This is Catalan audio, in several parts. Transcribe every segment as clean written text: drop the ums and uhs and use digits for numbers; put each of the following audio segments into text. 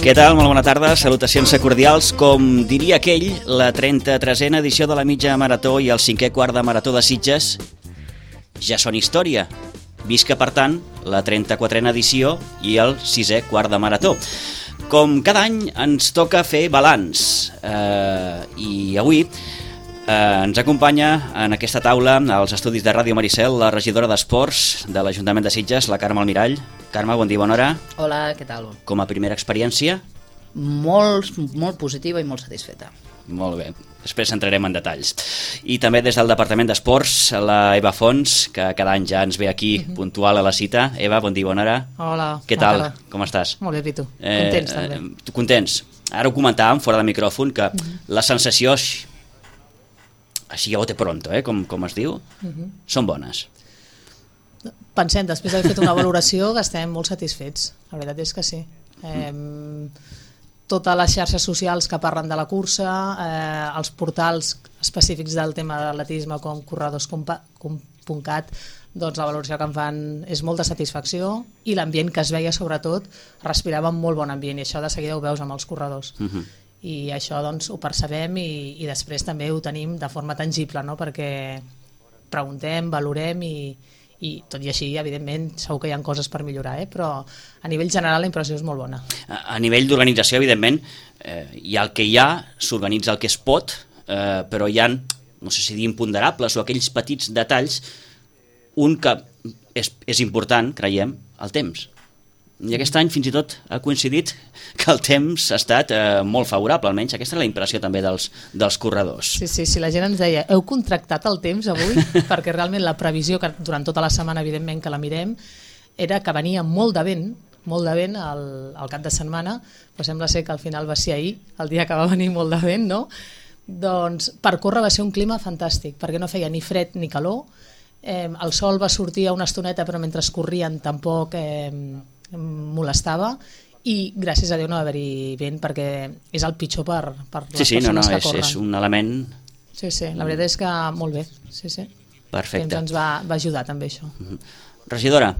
Què tal? Molt bona tarda, salutacions cordials. Com diria aquell, la 33a edició de la mitja marató i el 5è quart de marató de Sitges ja són història. Visca, per tant, la 34a edició i el 6è quart de marató. Com cada any ens toca fer balanç i avui ens acompanya en aquesta taula als estudis de Ràdio Maricel la regidora d'Esports de l'Ajuntament de Sitges, la Carme Almirall. Carme, bon dia, bona hora. Hola, què tal? Com a primera experiència? Molt positiva i molt satisfeta. Molt bé, després entrarem en detalls. I també des del Departament d'Esports, la Eva Fons, que cada any ja ens ve aquí puntual a la cita. Eva, bon dia, bona hora. Hola. Què tal? Com estàs? Molt bé, i tu? Contents, també. Contents. Ara ho comentàvem fora de micròfon, que la sensació, així a bote pronto, com es diu, són bones. Pensem, després d'haver fet una valoració, que estem molt satisfets. La veritat és que sí. Totes les xarxes socials que parlen de la cursa, els portals específics del tema de l'atletisme com corredors.cat, doncs la valoració que en fan és molta satisfacció i l'ambient que es veia, sobretot, respirava un molt bon ambient i això de seguida ho veus amb els corredors. I això doncs ho percebem i després també ho tenim de forma tangible, no? Perquè preguntem, valorem i tot i així, evidentment, segur que hi ha coses per millorar, però a nivell general la impressió és molt bona. A nivell d'organització, evidentment, hi ha el que hi ha, s'organitza el que es pot, però hi ha, no sé si dir imponderables o aquells petits detalls, un que és important, creiem, el temps. I aquest any fins i tot ha coincidit que el temps ha estat molt favorable, almenys aquesta és la impressió també dels corredors. Sí, la gent ens deia, heu contractat el temps avui? Perquè realment la previsió, que durant tota la setmana evidentment que la mirem, era que venia molt de vent al cap de setmana, però sembla ser que al final va ser ahir, el dia que va venir molt de vent, no? Doncs per córrer va ser un clima fantàstic, perquè no feia ni fred ni calor, el sol va sortir a una estoneta però mentre corrien tampoc molestava i gràcies a Déu no va haver-hi vent perquè és el pitjor per les persones que corren. És un element... Sí, la veritat és que molt bé. Sí. Perfecte. Ens va ajudar també això. Regidora,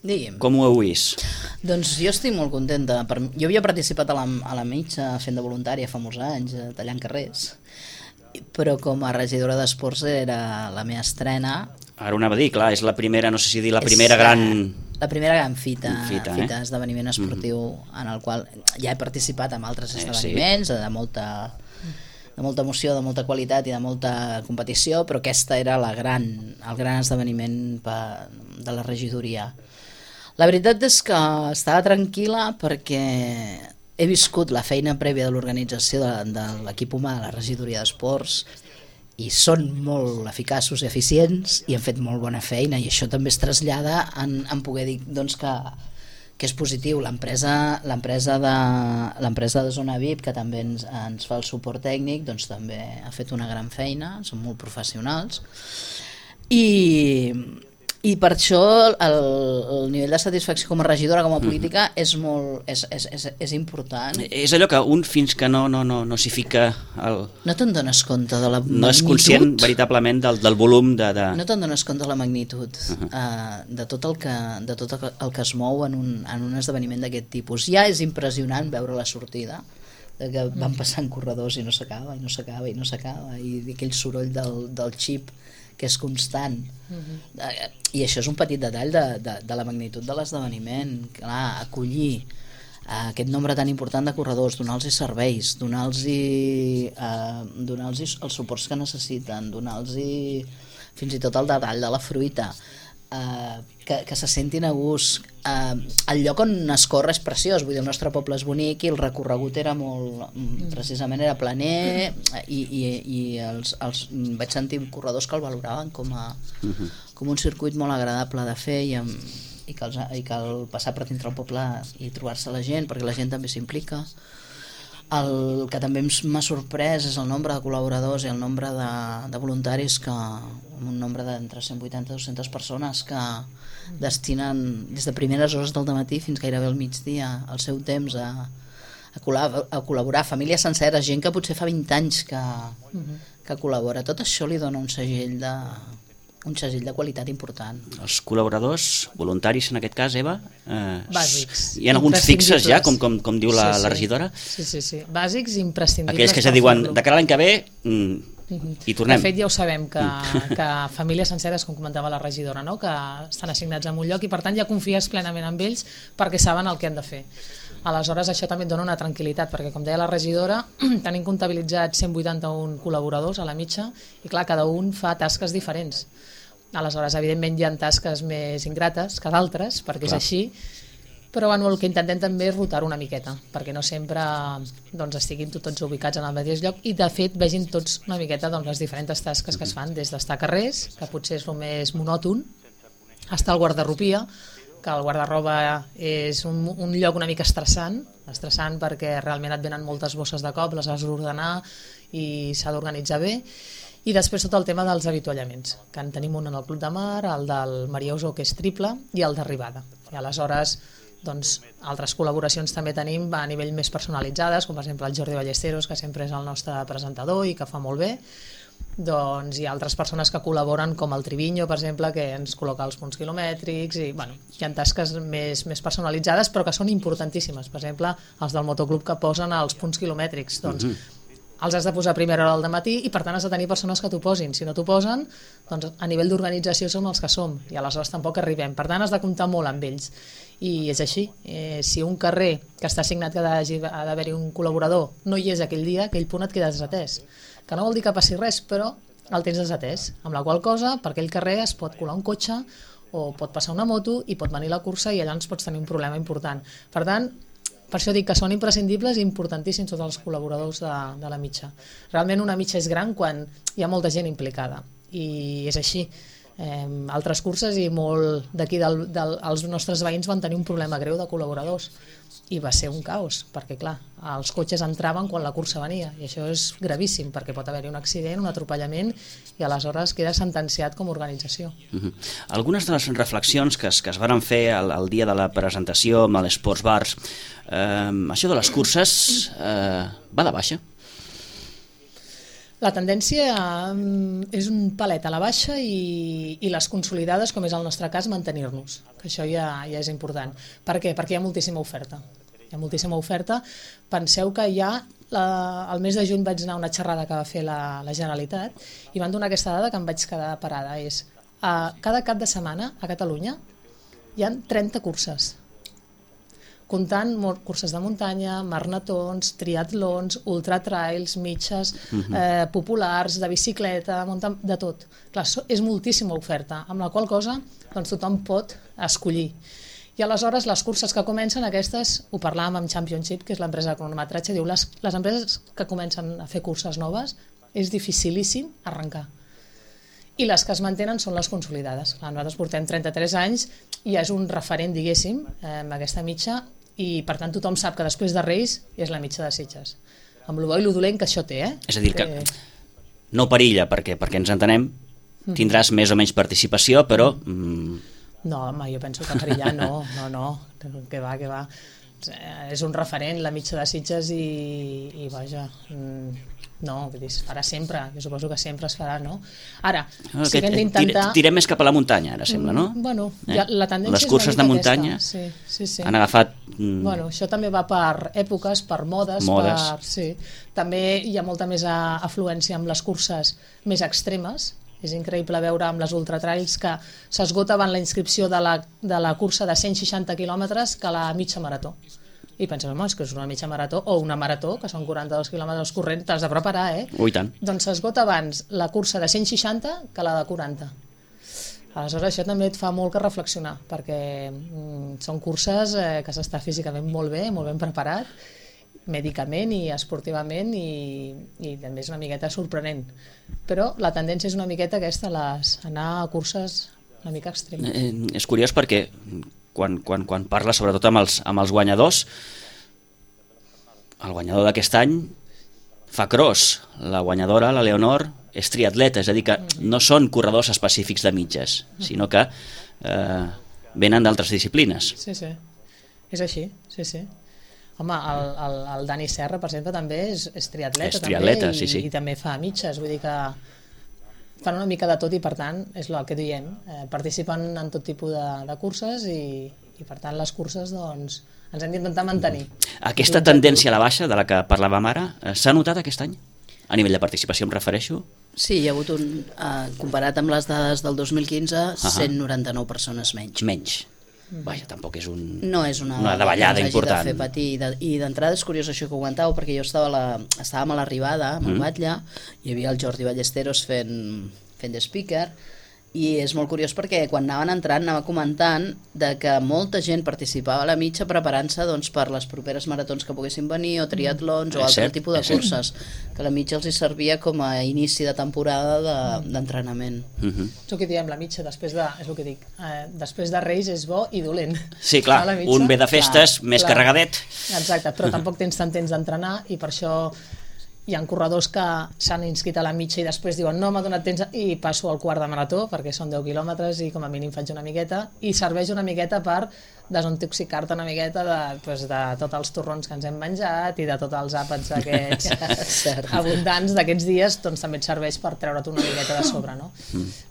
digui'm. Com ho heu vist? Doncs jo estic molt contenta. Jo havia participat a la mitja fent de voluntària fa molts anys, tallant carrers, però com a regidora d'esports era la meva estrena. Ara ho anava a dir, clar, és la primera, no sé si dir la primera gran... La primera gran fita esdeveniment esportiu en el qual ja he participat en altres esdeveniments de molta emoció, de molta qualitat i de molta competició, però aquesta era el gran esdeveniment de la regidoria. La veritat és que estava tranquil·la perquè he viscut la feina prèvia de l'organització de l'equip humà de la regidoria d'esports i són molt eficaços i eficients i han fet molt bona feina i això també es trasllada en poder dir doncs, que és positiu. L'empresa de Zona VIP, que també ens fa el suport tècnic, doncs també ha fet una gran feina, són molt professionals i per això el nivell de satisfacció com a regidora, com a política és important. És allò que un fins que no s'hi fica no te'n dones compte de la magnitud, no és conscient veritablement del volum no te'n dones compte de la magnitud de tot el que es mou en un esdeveniment d'aquest tipus. Ja és impressionant veure la sortida que van passant corredors i no s'acaba i aquell soroll del xip que és constant. I això és un petit detall de la magnitud de l'esdeveniment. Clar, acollir aquest nombre tan important de corredors, donar-los serveis, donar-los els suports que necessiten, donar-los fins i tot el detall de la fruita, que se sentin a gust. El lloc on es corre és preciós, vull dir, el nostre poble és bonic i el recorregut era precisament era planer i vaig sentir corredors que el valoraven com un circuit molt agradable de fer i que el passar per dintre el poble i trobar-se la gent, perquè la gent també s'implica. El que també m'ha sorprès és el nombre de col·laboradors i el nombre de voluntaris, un nombre d'entre 180 i 200 persones que destinen des de primeres hores del dematí fins gairebé al migdia el seu temps a col·laborar, famílies senceres, gent que potser fa 20 anys que col·labora. Tot això li dona un segell un segell de qualitat important. Els col·laboradors voluntaris, en aquest cas, Eva, bàsics. Hi ha alguns fixes ja, com diu la regidora? Sí. Bàsics imprescindibles. Aquells que ja diuen, de cara a l'any que ve, i tornem. De fet, ja ho sabem, que famílies senceres, com comentava la regidora, no? Que estan assignats en un lloc i, per tant, ja confies plenament en ells perquè saben el que han de fer. Aleshores, això també et dona una tranquil·litat, perquè, com deia la regidora, tenim comptabilitzats 181 col·laboradors a la mitja i, clar, cada un fa tasques diferents. Aleshores, evidentment, hi ha tasques més ingrates que d'altres, perquè és així, però bueno, el que intentem també és rotar una miqueta, perquè no sempre estiguin tots ubicats en el mateix lloc i, de fet, vegin tots una miqueta les diferents tasques que es fan, des d'estar a carrers, que potser és el més monòton, estar al guardarropia, que el guardarroba és un lloc una mica estressant perquè realment et venen moltes bosses de cop, les has d'ordenar i s'ha d'organitzar bé. I després tot el tema dels avituallaments, que en tenim un en el Club de Mar, el del Maria Usó, que és triple, i el d'arribada. I aleshores, altres col·laboracions també tenim a nivell més personalitzades, com per exemple el Jordi Ballesteros, que sempre és el nostre presentador i que fa molt bé. Hi ha altres persones que col·laboren, com el Triviño, per exemple, que ens col·loca els punts quilomètrics, i hi ha tasques més personalitzades, però que són importantíssimes. Per exemple, els del motoclub que posen els punts quilomètrics, els has de posar a primera hora del matí i, per tant, has de tenir persones que t'ho posin. Si no t'ho posen, a nivell d'organització som els que som i aleshores tampoc arribem. Per tant, has de comptar molt amb ells. I és així. Si un carrer que està assignat que ha d'haver-hi un col·laborador no hi és aquell dia, aquell punt et queda desatès. Que no vol dir que passi res, però el tens desatès. Amb la qual cosa, per aquell carrer es pot colar un cotxe o pot passar una moto i pot venir la cursa i allà ens pots tenir un problema important. Per tant, per això dic que són imprescindibles i importantíssims tots els col·laboradors de la mitja. Realment una mitja és gran quan hi ha molta gent implicada i és així. Altres curses i molt d'aquí els nostres veïns van tenir un problema greu de col·laboradors i va ser un caos, perquè clar, els cotxes entraven quan la cursa venia i això és gravíssim perquè pot haver-hi un accident, un atropellament i aleshores queda sentenciat com a organització. Algunes de les reflexions que es van fer el dia de la presentació amb l'Sports Bars, això de les curses va de baixa? La tendència és un palet a la baixa i les consolidades, com és el nostre cas, mantenir-nos, que això ja és important. Per què? Perquè hi ha moltíssima oferta. Hi ha moltíssima oferta. Penseu que el mes de juny vaig anar a una xerrada que va fer la Generalitat i van donar aquesta dada que em vaig quedar parada. Cada cap de setmana a Catalunya hi ha 30 curses, comptant curses de muntanya, maratons, triatlons, ultratrails, mitges, populars, de bicicleta, de tot. Clar, és moltíssima oferta, amb la qual cosa tothom pot escollir. I aleshores les curses que comencen, aquestes, ho parlàvem amb Championship, que és l'empresa de cronometratge, diu les empreses que comencen a fer curses noves és dificilíssim arrencar. I les que es mantenen són les consolidades. Nosaltres portem 33 anys i és un referent, diguéssim, amb aquesta mitja, i per tant tothom sap que després de Reis és la mitja de Sitges. Amb el bo i el dolent que això té. És a dir, que no perilla, perquè ens entenem, tindràs més o menys participació, però... No, home, jo penso que perillar no, que va. És un referent, la mitja de Sitges, i vaja... No, es farà sempre, jo suposo que sempre es farà, no? Ara, si hem d'intentar... Tirem més cap a la muntanya, ara sembla, no? Bueno, la tendència les curses de muntanya han agafat... Bueno, això també va per èpoques, per modes. També hi ha molta més afluència amb les curses més extremes. És increïble veure amb les ultratrails que s'esgota abans la inscripció de la cursa de 160 quilòmetres que la mitja marató. I penses, home, és que és una mitja marató o una marató, que són 42 quilòmetres corrents, t'has de preparar, Ui, tant. Doncs s'esgota abans la cursa de 160 que la de 40. Aleshores això també et fa molt que reflexionar, perquè són curses que s'està físicament molt ben preparat, mèdicament i esportivament, i també és una miqueta sorprenent. Però la tendència és una miqueta aquesta, anar a curses una mica extremes. És curiós perquè quan parla sobretot amb els guanyadors, el guanyador d'aquest any fa cross, la guanyadora, la Leonor, és triatleta, és a dir que no són corredors específics de mitges, sinó que venen d'altres disciplines. Sí, és així, sí. Home, el Dani Serra, per exemple, també és triatleta, és triatleta, també, i també fa mitges, vull dir que fan una mica de tot i per tant és el que diem, participen en tot tipus de curses i per tant les curses doncs ens hem d'intentar mantenir. Aquesta tendència a la baixa de la que parlàvem ara s'ha notat aquest any? A nivell de participació em refereixo? Sí, hi ha hagut comparat amb les dades del 2015, 199 persones menys. Menys. Vaja, tampoc és no és una davallada important. De fer patir. I d'entrada és curiós això que ho comentàveu, perquè jo estàvem a l'arribada, amb el Batlle, hi havia el Jordi Ballesteros fent de speaker, i és molt curiós perquè quan anaven entrant anava comentant de que molta gent participava a la mitja preparant-se doncs, per les properes maratons que poguessin venir o triatlons o altre tipus de curses, que la mitja els hi servia com a inici de temporada d'entrenament. És el que diem, la mitja després de, és el que dic, després de Reis és bo i dolent. Sí, clar, un ve de festes més carregadet. Exacte, però tampoc tens tant temps d'entrenar i per això hi ha corredors que s'han inscrit a la mitja i després diuen no m'ha donat temps i passo al quart de marató perquè són 10 quilòmetres i com a mínim faig una miqueta i serveix una miqueta per desintoxicar-te una miqueta de tots els torrons que ens hem menjat i de tots els àpats aquests abundants d'aquests dies, doncs també et serveix per treure't una miqueta de sobre, no?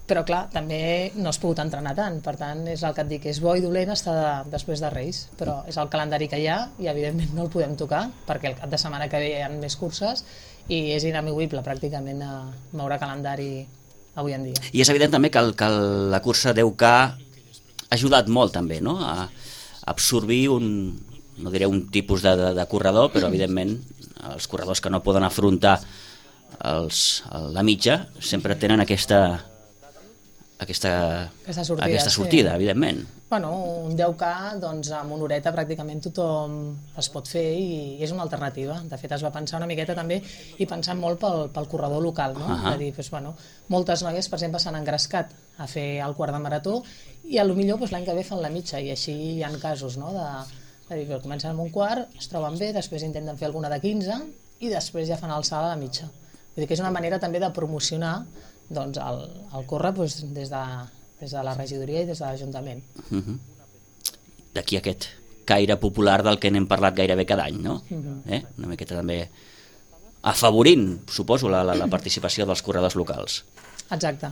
Però clar, també no has pogut entrenar tant, per tant és el que et dic, és bo i dolent estar després de Reis, però és el calendari que hi ha i evidentment no el podem tocar perquè el cap de setmana que ve hi ha més curses i és inamovible pràcticament a moure calendari avui en dia. I és evident també que la cursa 10K ha ajudat molt també, no?, a absorbir no diré un tipus de corredor, però evidentment els corredors que no poden afrontar la mitja sempre tenen aquesta sortida, evidentment. Bueno, un 10K, doncs amb una horeta pràcticament tothom es pot fer i és una alternativa. De fet, es va pensar una miqueta també i pensant molt pel corredor local, no? De dir, doncs, bueno, moltes noies, per exemple, s'han engrescat a fer el quart de marató i potser l'any que ve fan la mitja i així hi ha casos, no? De dir, comencen amb un quart, es troben bé, després intenten fer alguna de 15 i després ja fan el salt a la mitja. Vull dir que és una manera també de promocionar doncs, el córrer doncs, des de la regidoria i des de l'Ajuntament. D'aquí aquest caire popular del que n'hem parlat gairebé cada any, no? Una miqueta també afavorint, suposo, la participació dels corredors locals. Exacte.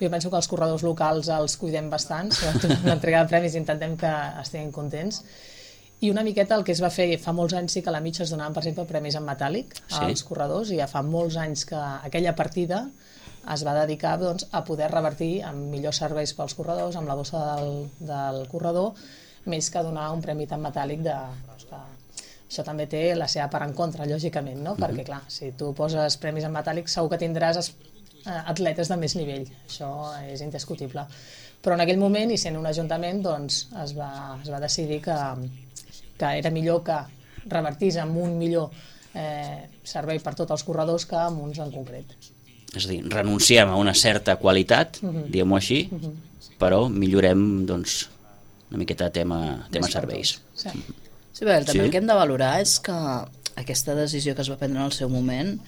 Jo penso que els corredors locals els cuidem bastant, sobretot amb l'entrega de premis intentem que estiguin contents. I una miqueta el que es va fer fa molts anys sí que a la mitja es donaven, per exemple, premis en metàl·lic als corredors i ja fa molts anys que aquella partida es va dedicar doncs, a poder revertir amb millors serveis pels corredors, amb la bossa del corredor, més que donar un premi tan metàl·lic això també té la seva part en contra, lògicament, no? Perquè, clar, si tu poses premis en metàl·lic segur que tindràs atletes de més nivell, això és indiscutible. Però en aquell moment, i sent un ajuntament, doncs, es va decidir que era millor que revertís amb un millor servei per tots els corredors que amb uns en concret. És a dir, renunciem a una certa qualitat, diguem-ho així, però millorem doncs, una miqueta tema serveis. Sí, bé, també el que hem de valorar és que aquesta decisió que es va prendre en el seu moment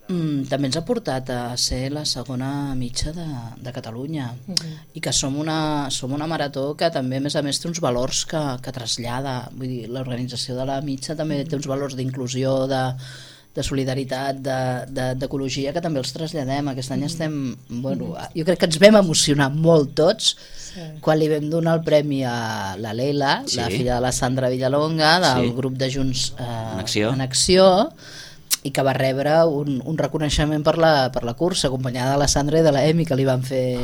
també ens ha portat a ser la segona mitja de Catalunya i que som una marató que també a més té uns valors que trasllada, vull dir, l'organització de la mitja també té uns valors d'inclusió, de solidaritat, d'ecologia que també els traslladem. Aquest any estem, jo crec que ens vam emocionar molt tots quan li vam donar el premi a la Leila, la filla de la Sandra Villalonga del grup de Junts en Acció, i que va rebre un reconeixement per la cursa, acompanyada de la Sandra i de la Emi, que li van fer,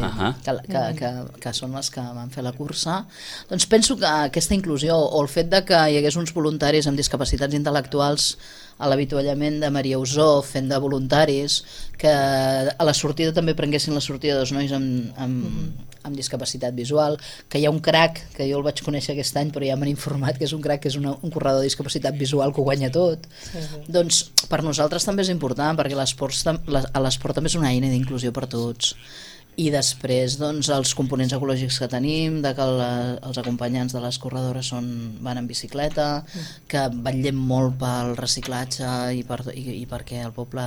que són les que van fer la cursa. Doncs penso que aquesta inclusió, o el fet de que hi hagués uns voluntaris amb discapacitats intel·lectuals a l'avituallament de Maria Usó fent de voluntaris, que a la sortida també prenguessin la sortida dos nois amb discapacitat visual, que hi ha un crac, que jo el vaig conèixer aquest any però ja m'han informat que és un crac, que és un corredor de discapacitat visual que ho guanya tot. Doncs per nosaltres també és important, perquè l'esport també és una eina d'inclusió per tots. I després doncs, els components ecològics que tenim, de que els acompanyants de les corredores van en bicicleta, que vetllem molt pel reciclatge i perquè el poble,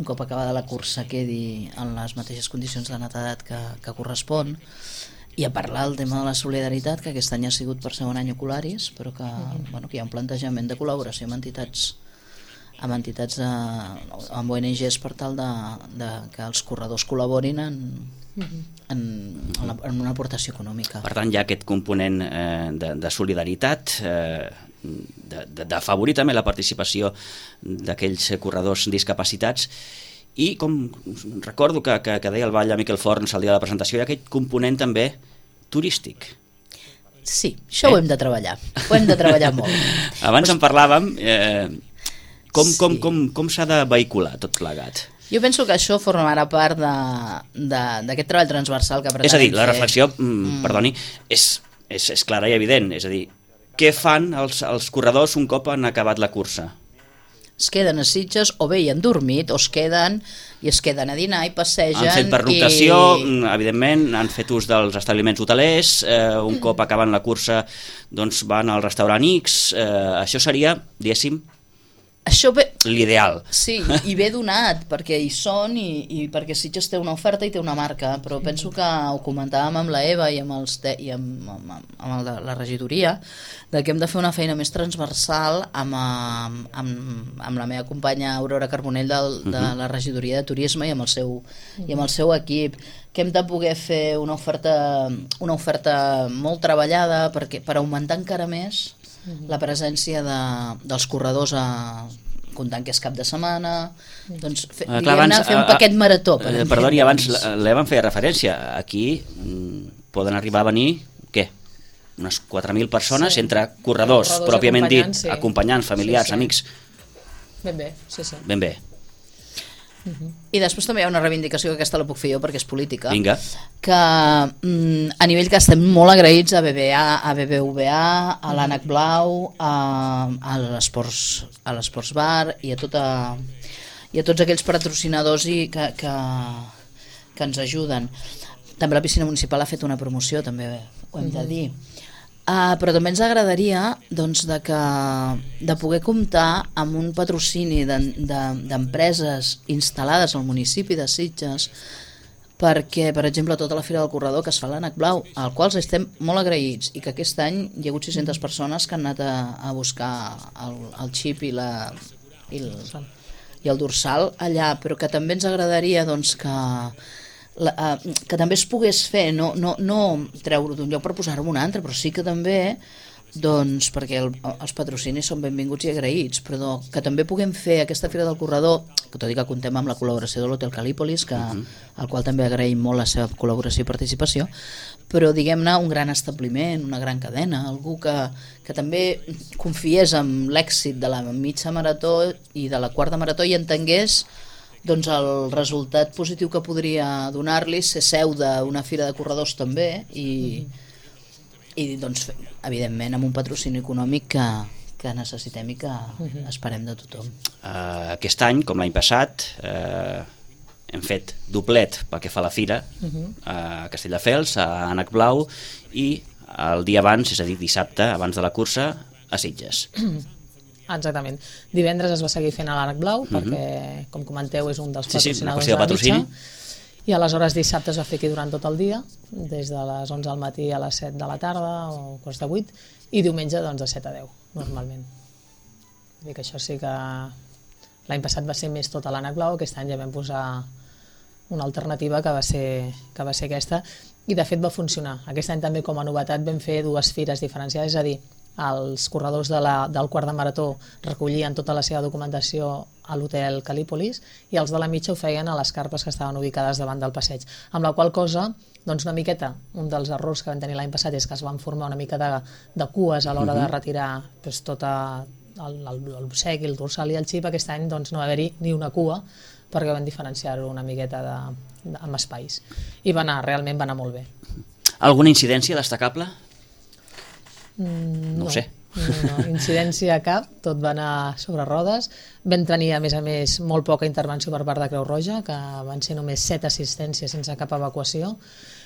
un cop acabada la cursa, quedi en les mateixes condicions de netedat que correspon. I a parlar del tema de la solidaritat, que aquest any ha sigut per segon any Ocularis, però que hi ha un plantejament de col·laboració amb entitats amb entitats, amb ONGs per tal de que els corredors col·laborin en una aportació econòmica. Per tant, hi ha aquest component de solidaritat, d'afavorir també la participació d'aquells corredors discapacitats, i com recordo que deia el Batlle Miquel Forns el dia de la presentació, hi ha aquest component també turístic. Sí, això ho hem de treballar, molt. Abans en parlàvem, com s'ha de vehicular tot plegat? Jo penso que això formarà part d'aquest treball transversal que pretenem fer. És a dir, la reflexió, perdoni, és clara i evident, és a dir, què fan els corredors un cop han acabat la cursa? Es queden a Sitges, o bé hi han dormit, o es queden a dinar i passegen. Han fet pernoctació, evidentment, han fet ús dels establiments hotelers, un cop acaben la cursa doncs van al restaurant X, això seria, diguéssim, això ve... l'ideal. Sí, i ve donat, perquè hi són i perquè Sitges té una oferta i té una marca, però penso que ho comentàvem amb la Eva i amb la regidoria, que hem de fer una feina més transversal amb la meva companya Aurora Carbonell de la regidoria de turisme i amb el seu equip, que hem de poder fer una oferta molt treballada per augmentar encara més la presència dels corredors, comptant que és cap de setmana, doncs fer un paquet marató. Perdoni, abans l'Eva em feia referència, aquí poden arribar a venir, què? Unes 4.000 persones, entre corredors pròpiament dit, acompanyants, familiars, amics. Ben bé, sí. Ben bé. I després també hi ha una reivindicació, que aquesta la puc fer jo perquè és política. Vinga. Que a nivell que estem molt agraïts a BBVA, a l'Ànec Blau, a l'Esports Bar i a tots aquells patrocinadors que ens ajuden. També la piscina municipal ha fet una promoció, també ho hem de dir. Però també ens agradaria de poder comptar amb un patrocini d'empreses instal·lades al municipi de Sitges, perquè, per exemple, tota la Fira del Corredor que es fa a l'Ànec Blau, al qual estem molt agraïts, i que aquest any hi ha hagut 600 persones que han anat a buscar el xip i el dorsal allà, però que també ens agradaria que també es pogués fer, no treure d'un lloc per posar-ho en un altre, però sí que també, perquè els patrocinis són benvinguts i agraïts, però que també puguem fer aquesta Fira del Corredor, que tot i que comptem amb la col·laboració de l'Hotel Calípolis, al qual també agraïm molt la seva col·laboració i participació, però diguem-ne un gran establiment, una gran cadena, algú que també confiés en l'èxit de la mitja marató i de la quarta marató i entengués el resultat positiu que podria donar-li ser seu d'una fira de corredors també i evidentment amb un patrocini econòmic que necessitem i que esperem de tothom. Aquest any, com l'any passat, hem fet doblet pel que fa a la fira a Castelldefels, a Ànec Blau, i el dia abans, és a dir, dissabte, abans de la cursa, a Sitges. Exactament. Divendres es va seguir fent a l'Ànec Blau, perquè, com comenteu, és un dels patrocinadors de la mitja, i aleshores dissabte es va fer aquí durant tot el dia, des de les 11 del matí a les 7 de la tarda o quarts de 8, i diumenge de 7 a 10, normalment. Vull dir que això sí que l'any passat va ser més tot a l'Ànec Blau, aquest any ja vam posar una alternativa que va ser aquesta, i de fet va funcionar. Aquest any també, com a novetat, vam fer dues fires diferenciades, és a dir, els corredors del quart de marató recollien tota la seva documentació a l'Hotel Calípolis i els de la mitja ho feien a les carpes que estaven ubicades davant del passeig, amb la qual cosa una miqueta, un dels errors que vam tenir l'any passat és que es van formar una mica de cues a l'hora de retirar tot l'obsequi, el dorsal i el xip. Aquest any no va haver-hi ni una cua perquè van diferenciar-ho una miqueta amb espais i realment va anar molt bé. Alguna incidència destacable? No ho sé. No, incidència cap, tot va anar sobre rodes. Vam tenir, a més, molt poca intervenció per part de Creu Roja, que van ser només 7 assistències sense cap evacuació,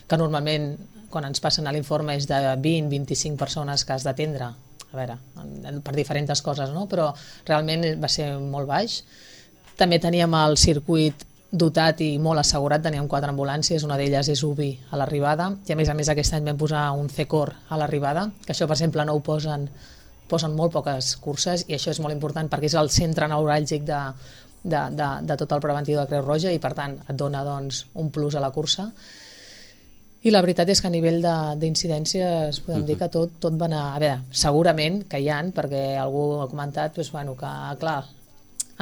que normalment, quan ens passen a l'informe, és de 20-25 persones que has d'atendre, per diferents coses, no? Però realment va ser molt baix. També teníem el circuit dotat i molt assegurat, teníem 4 ambulàncies, una d'elles és UBI a l'arribada, i a més aquest any vam posar un C-Cor a l'arribada, que això per exemple no ho posen posen molt poques curses i això és molt important perquè és el centre neuràlgic de tot el preventiu de Creu Roja i per tant et dona doncs, un plus a la cursa. I la veritat és que a nivell d'incidències podem dir que tot va anar... A veure, segurament que hi ha, perquè algú ha comentat doncs, bueno, que clar,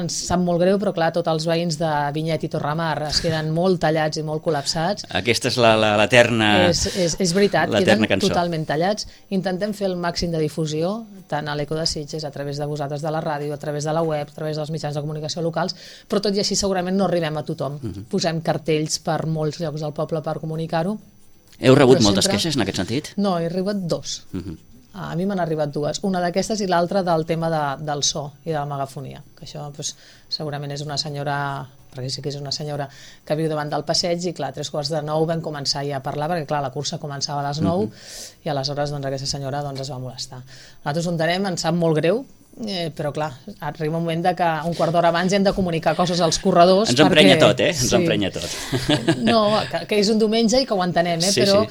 ens sap molt greu, però clar, tots els veïns de Vinyet i Torramar es queden molt tallats i molt col·lapsats. Aquesta és l'eterna... És veritat, queden cançó. Totalment tallats. Intentem fer el màxim de difusió, tant a l'Eco de Sitges, a través de vosaltres de la ràdio, a través de la web, a través dels mitjans de comunicació locals, però tot i així segurament no arribem a tothom. Posem cartells per molts llocs del poble per comunicar-ho. Heu rebut moltes queixes en aquest sentit? No, he rebut 2. A mi m'han arribat 2, una d'aquestes i l'altra del tema del so i de la megafonia, que això doncs, segurament és una senyora, perquè sí que és una senyora que viu davant del passeig i clar, a 3:45 vam començar ja a parlar perquè clar, la cursa començava a les 9 i aleshores doncs, aquesta senyora doncs, es va molestar. Nosaltres ho entenem, ens sap molt greu, però clar, arriba un moment que un quart d'hora abans hem de comunicar coses als corredors. Ens emprenya tot, Ens emprenya tot. No, que és un diumenge i que ho entenem, però...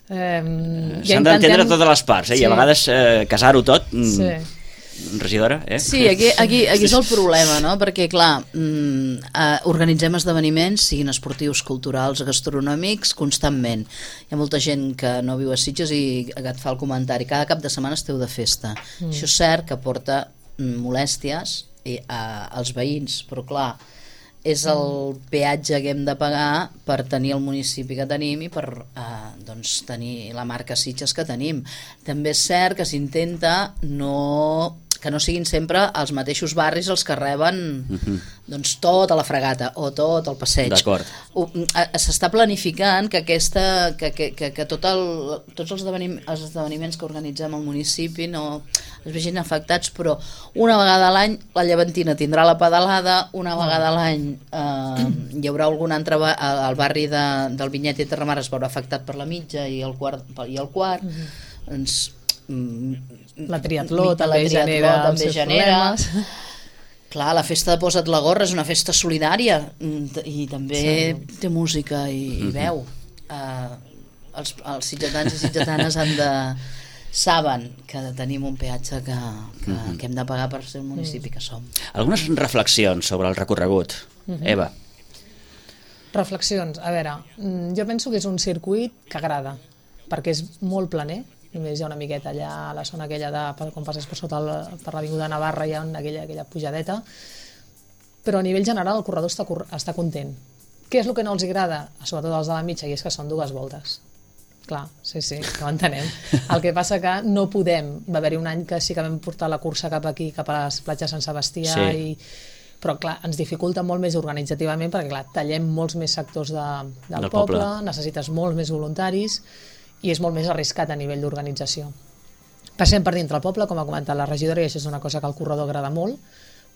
S'han d'entendre totes les parts, i a vegades casar-ho tot... Regidora, Sí, aquí és el problema, no? Perquè, clar, organitzem esdeveniments, siguin esportius, culturals, gastronòmics, constantment. Hi ha molta gent que no viu a Sitges i que et fa el comentari, cada cap de setmana esteu de festa. Això és cert que porta molèsties als veïns, però clar, és el peatge que hem de pagar per tenir el municipi que tenim i per doncs, tenir la marca Sitges que tenim. També és cert que s'intenta que no siguin sempre els mateixos barris els que reben doncs, tota la fregata o tot el passeig. D'acord. S'està planificant que tots els esdeveniments que organitzem al municipi no es vegin afectats, però una vegada a l'any la Llevantina tindrà la pedalada, una vegada a l'any hi haurà algun altre al barri del Vinyet i Terramar es veurà afectat per la mitja i el quart doncs la triatló també genera problemes. Clar, la festa de Posa't la gorra és una festa solidària i també té música i veu. Els sitgetans i sitgetanes saben que tenim un peatge que hem de pagar per ser el municipi que som. Algunes reflexions sobre el recorregut. Eva. Reflexions, a veure, jo penso que és un circuit que agrada, perquè és molt planer. Només hi ha una miqueta allà a la zona aquella quan passes per l'Avinguda Navarra hi ha aquella pujadeta, però a nivell general el corredor està content. Què és el que no els agrada? Sobretot els de la mitja, i és que són 2 voltes. Clar, sí, que ho entenem. El que passa que no podem, va haver-hi un any que sí que vam portar la cursa cap aquí, cap a les platges Sant Sebastià, però clar, ens dificulta molt més organitzativament perquè clar, tallem molts més sectors del poble, necessites molts més voluntaris i és molt més arriscat a nivell d'organització. Passem per dintre el poble, com ha comentat la regidora, i això és una cosa que al corredor agrada molt,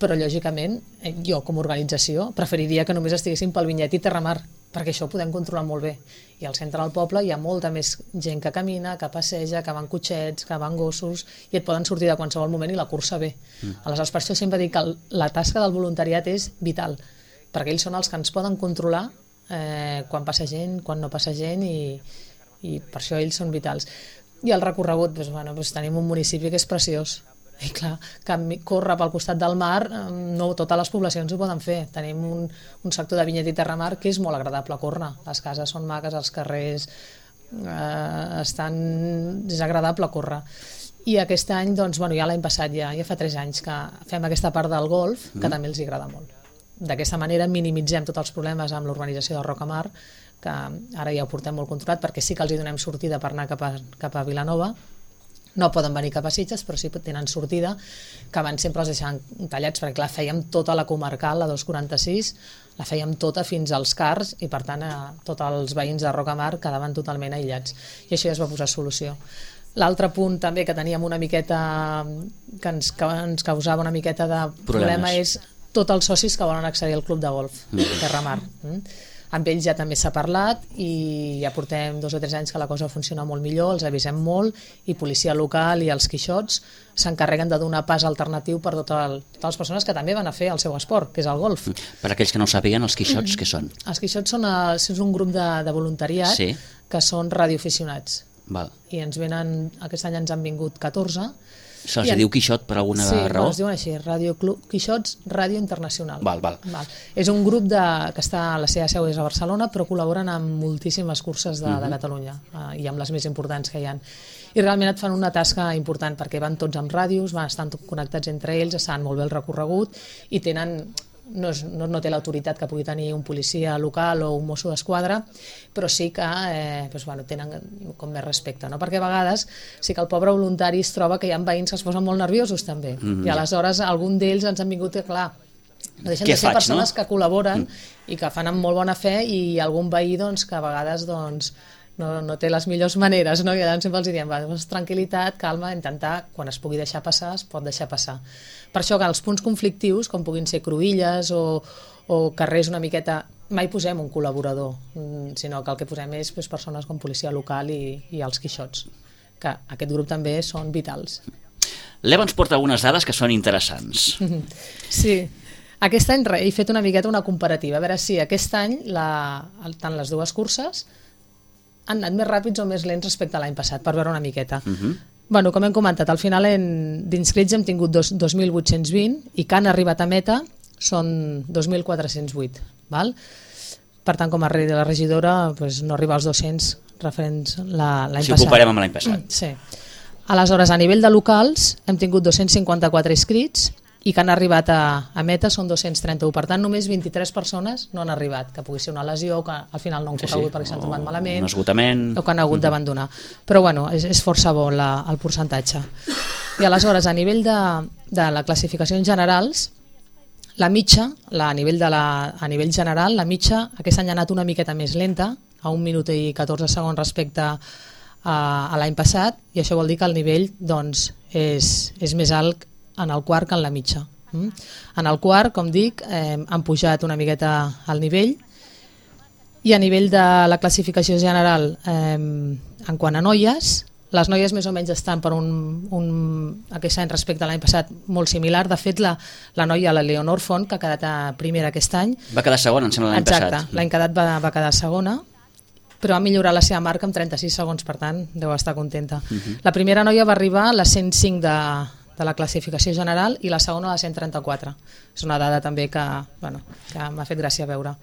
però lògicament jo com a organització preferiria que només estiguéssim pel Vinyet i Terramar, perquè això ho podem controlar molt bé. I al centre del poble hi ha molta més gent que camina, que passeja, que van cotxets, que van gossos, i et poden sortir de qualsevol moment i la cursa bé. Aleshores, per això sempre dic que la tasca del voluntariat és vital, perquè ells són els que ens poden controlar quan passa gent, quan no passa gent, i per això ells són vitals. I el recorregut, doncs, tenim un municipi que és preciós i clar, córrer pel costat del mar no totes les poblacions ho poden fer. Tenim un sector de Vinyet i Terramar que és molt agradable a córrer, les cases són maques, els carrers és agradable a córrer. I aquest any, doncs, ja l'any passat, ja fa 3 anys que fem aquesta part del golf que també els agrada molt. D'aquesta manera minimitzem tots els problemes amb l'urbanització de Rocamar, que ara ja ho portem molt controlat perquè sí que els hi donem sortida per anar cap a Vilanova. No poden venir cap a Sitges, però sí que tenen sortida, que abans sempre els deixaven tallats, perquè clar, fèiem tota la comarcal, la 246, la fèiem tota fins als Cars, i per tant tots els veïns de Rocamar quedaven totalment aïllats. I això ja es va posar solució. L'altre punt també que teníem una miqueta, que ens causava una miqueta de problema és tots els socis que volen accedir al club de golf de Terramar. Amb ells ja també s'ha parlat i ja portem 2 o 3 anys que la cosa funciona molt millor, els avisem molt i policia local i els quixots s'encarreguen de donar pas alternatiu per totes les persones que també van a fer el seu esport, que és el golf. Per aquells que no ho sàpiguen, els quixots què són? Els quixots és un grup de voluntariat que són radioaficionats. I aquest any ens han vingut 14 Se'ls diu Quixot per alguna raó? Sí, es diuen així, Radio Club Quixots Ràdio Internacional. Val. És un grup que està, la seva seu és a Barcelona, però col·laboren amb moltíssimes curses de Catalunya i amb les més importants que hi ha. I realment et fan una tasca important perquè van tots amb ràdios, estan connectats entre ells, saben molt bé el recorregut i tenen... No té l'autoritat que pugui tenir un policia local o un mosso d'esquadra, però sí que tenen com més respecte, no? Perquè a vegades sí que el pobre voluntari es troba que hi ha veïns que es posen molt nerviosos també, i aleshores algun d'ells ens han vingut que, clar, no deixen de ser persones que col·laboren i que fan amb molt bona fe, i algun veí que a vegades no té les millors maneres, no? I llavors sempre els diem, tranquil·litat, calma, intentar, quan es pugui deixar passar, es pot deixar passar. Per això que els punts conflictius, com puguin ser cruïlles o carrers una miqueta, mai posem un col·laborador, sinó que el que posem és persones com policia local i els Quixots, que aquest grup també són vitals. L'Eva ens porta algunes dades que són interessants. Sí, aquest any he fet una miqueta una comparativa, a veure si aquest any tant les dues curses han anat més ràpids o més lents respecte a l'any passat, per veure una miqueta. Bueno, com hem comentat, al final d'inscrits hem tingut 2.820 i que han arribat a meta són 2.408. Val? Per tant, com a regidora no arriba als 200 referents l'any passat. Si ho comparem amb l'any passat. Sí. Aleshores, a nivell de locals hem tingut 254 inscrits i que han arribat a meta són 231. Per tant, només 23 persones no han arribat, que pugui ser una lesió, que al final no han corregut perquè s'han trobat malament, un esgotament, o que han hagut d'abandonar. Però bueno, és força bo el percentatge. I aleshores, a nivell de la classificació en generals, la mitja, a nivell general, la mitja aquest any ha anat una miqueta més lenta, a 1 minut i 14 segons respecte a l'any passat, i això vol dir que el nivell és més alt en el quart que en la mitja. En el quart, com dic, han pujat una miqueta al nivell, i a nivell de la classificació general, en quant a noies, les noies més o menys estan per aquest any respecte a l'any passat molt similar. De fet, la noia, la Leonor Font, que ha quedat primera aquest any... Va quedar segona, em sembla, l'any passat. Exacte, l'any quedat va quedar segona, però ha millorat la seva marca amb 36 segons, per tant, deu estar contenta. La primera noia va arribar a les 105 de la classificació general i la segona a la 134. És una dada també que m'ha fet gràcia veure.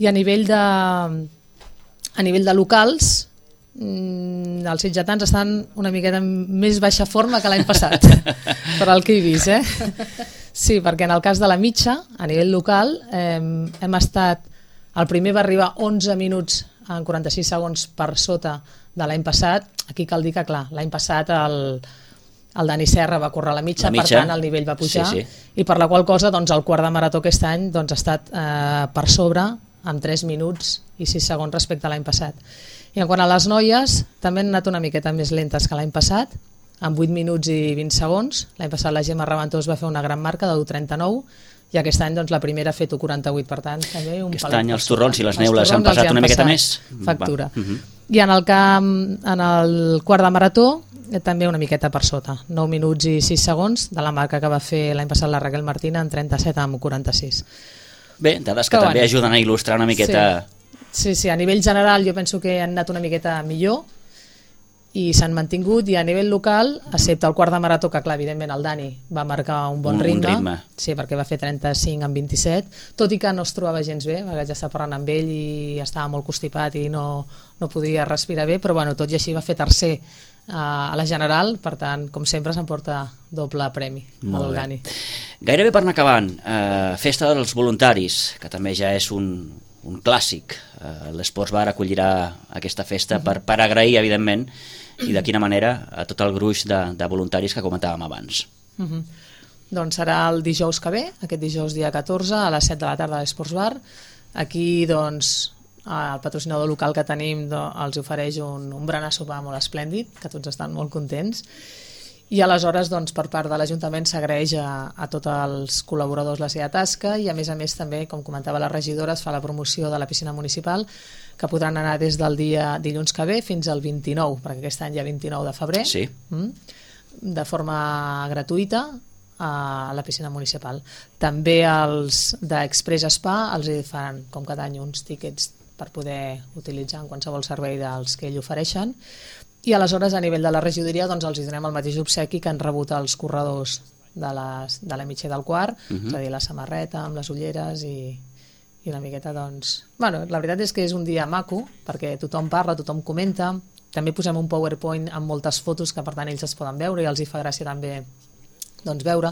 I a nivell de locals, els sitgetans estan una miqueta en més baixa forma que l'any passat, per al que he vist. Sí, perquè en el cas de la mitja, a nivell local, hem estat... El primer va arribar 11 minuts en 46 segons per sota de l'any passat. Aquí cal dir que, clar, l'any passat el Dani Serra va córrer la mitja, per tant el nivell va pujar, i per la qual cosa el quart de marató aquest any ha estat per sobre amb 3 minuts i 6 segons respecte a l'any passat. I en quant a les noies, també han anat una miqueta més lentes que l'any passat, amb 8 minuts i 20 segons. L'any passat la Gemma Reventós va fer una gran marca de 1:39, i aquest any la primera ha fet 1:48, per tant també un aquest any els torrons i les neules han passat una miqueta més factura. I en el quart de marató també una miqueta per sota, 9 minuts i 6 segons de la marca que va fer l'any passat la Raquel Martina en 37:46. Bé, dades que també ajuden a il·lustrar una miqueta... Sí, a nivell general jo penso que han anat una miqueta millor i s'han mantingut, i a nivell local, excepte el quart de marató, que clar, evidentment el Dani va marcar un bon ritme. Sí, perquè va fer 35 en 27, tot i que no es trobava gens bé, vaig estar parlant amb ell i estava molt constipat i no podia respirar bé, però tot i així va fer tercer a la general, per tant, com sempre, s'emporta doble premi al Dani. Gairebé per anar acabant, Festa dels Voluntaris, que també ja és un clàssic. L'Esports Bar acollirà aquesta festa per agrair, evidentment, i de quina manera, a tot el gruix de voluntaris que comentàvem abans. Doncs serà el dijous que ve, aquest dijous dia 14 a les 7 de la tarda a l'Esports Bar. Aquí el patrocinador local que tenim els ofereix un berenar sopar molt esplèndid, que tots estan molt contents, i aleshores per part de l'Ajuntament s'agraeix a tots els col·laboradors la seva tasca, i a més també, com comentava la regidora, es fa la promoció de la piscina municipal, que podran anar des del dia dilluns que ve fins al 29, perquè aquest any hi ha 29 de febrer, de forma gratuïta a la piscina municipal. També els d'Express Spa els faran, com cada any, uns tíquets per poder utilitzar en qualsevol servei dels que ells ofereixen. I aleshores, a nivell de la regidoria, doncs els donem el mateix obsequi que han rebut els corredors de la mitja del quart, és a dir, la samarreta amb les ulleres i una miqueta, doncs... Bueno, la veritat és que és un dia maco, perquè tothom parla, tothom comenta, també posem un PowerPoint amb moltes fotos que per tant ells es poden veure i els hi fa gràcia també doncs, veure.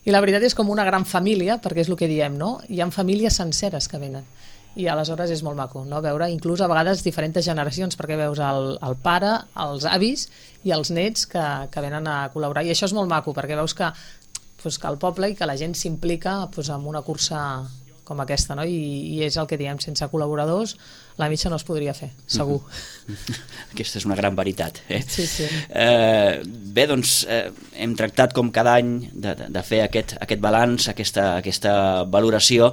I la veritat és com una gran família, perquè és el que diem, no? Hi ha famílies senceres que venen i aleshores és molt maco, no? Veure inclús a vegades diferents generacions, perquè veus el pare, els avis i els nets que venen a col·laborar, i això és molt maco perquè veus que el poble i que la gent s'implica en una cursa com aquesta, no? I és el que diem, sense col·laboradors la mitja no es podria fer, segur. Aquesta és una gran veritat. Sí, sí. Bé, doncs hem tractat com cada any de fer aquest balanç, aquesta valoració.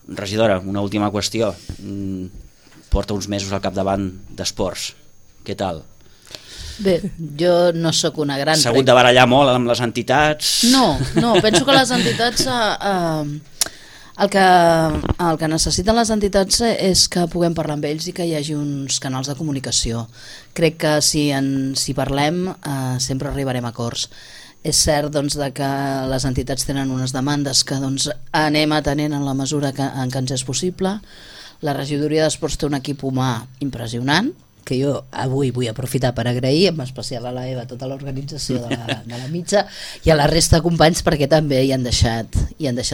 Regidora, una última qüestió. Porta uns mesos al capdavant d'esports. Què tal? Bé, jo no sóc una gran... S'ha hagut de barallar molt amb les entitats? No, penso que les entitats... El que necessiten les entitats és que puguem parlar amb ells i que hi hagi uns canals de comunicació. Crec que si parlem sempre arribarem a acords. És cert doncs, que les entitats tenen unes demandes que doncs, anem atenent en la mesura en què ens és possible. La regidoria d'esports té un equip humà impressionant, que jo avui vull aprofitar per agrair, en especial a la Eva, tota l'organització de la mitja, i a la resta de companys perquè també hi han deixat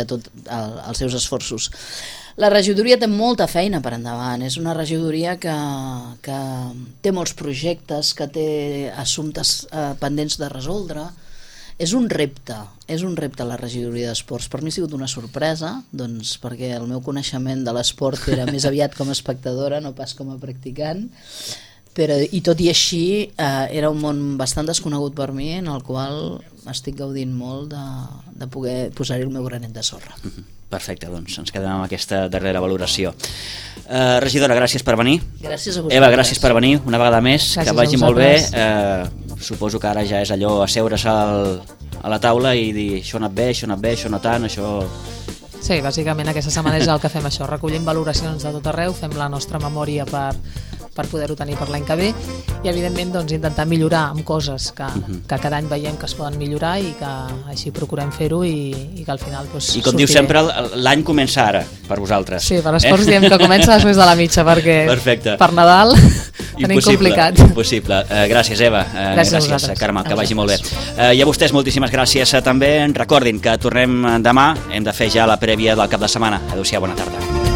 tots els seus esforços. La regidoria té molta feina per endavant, és una regidoria que té molts projectes, que té assumptes pendents de resoldre. És un repte la regidoria d'esports. Per mi ha sigut una sorpresa, doncs, perquè el meu coneixement de l'esport era més aviat com a espectadora, no pas com a practicant, i tot i així era un món bastant desconegut per mi, en el qual estic gaudint molt de poder posar-hi el meu granet de sorra. Perfecte, doncs ens quedem amb aquesta darrera valoració. Regidora, gràcies per venir. Gràcies a vosaltres. Eva, gràcies per venir una vegada més. Gràcies, que vagi molt bé. Suposo que ara ja és allò asseure's a la taula i dir això ha anat bé, això no tant, això... Sí, bàsicament aquesta setmana és el que fem això, recollim valoracions de tot arreu, fem la nostra memòria per poder-ho tenir per l'any que ve i evidentment doncs, intentar millorar amb coses que cada any veiem que es poden millorar i que així procurem fer-ho i que al final doncs, I com diu sempre, l'any comença ara per vosaltres. Sí, per esports diem que comença després de la mitja perquè Perfecte. Per Nadal tenim complicat. Impossible. Gràcies, Eva. Gràcies, Carme, que vagi molt bé. I a vostès moltíssimes gràcies també. Recordin que tornem demà, hem de fer ja la prèvia del cap de setmana. Adéu-siau, bona tarda.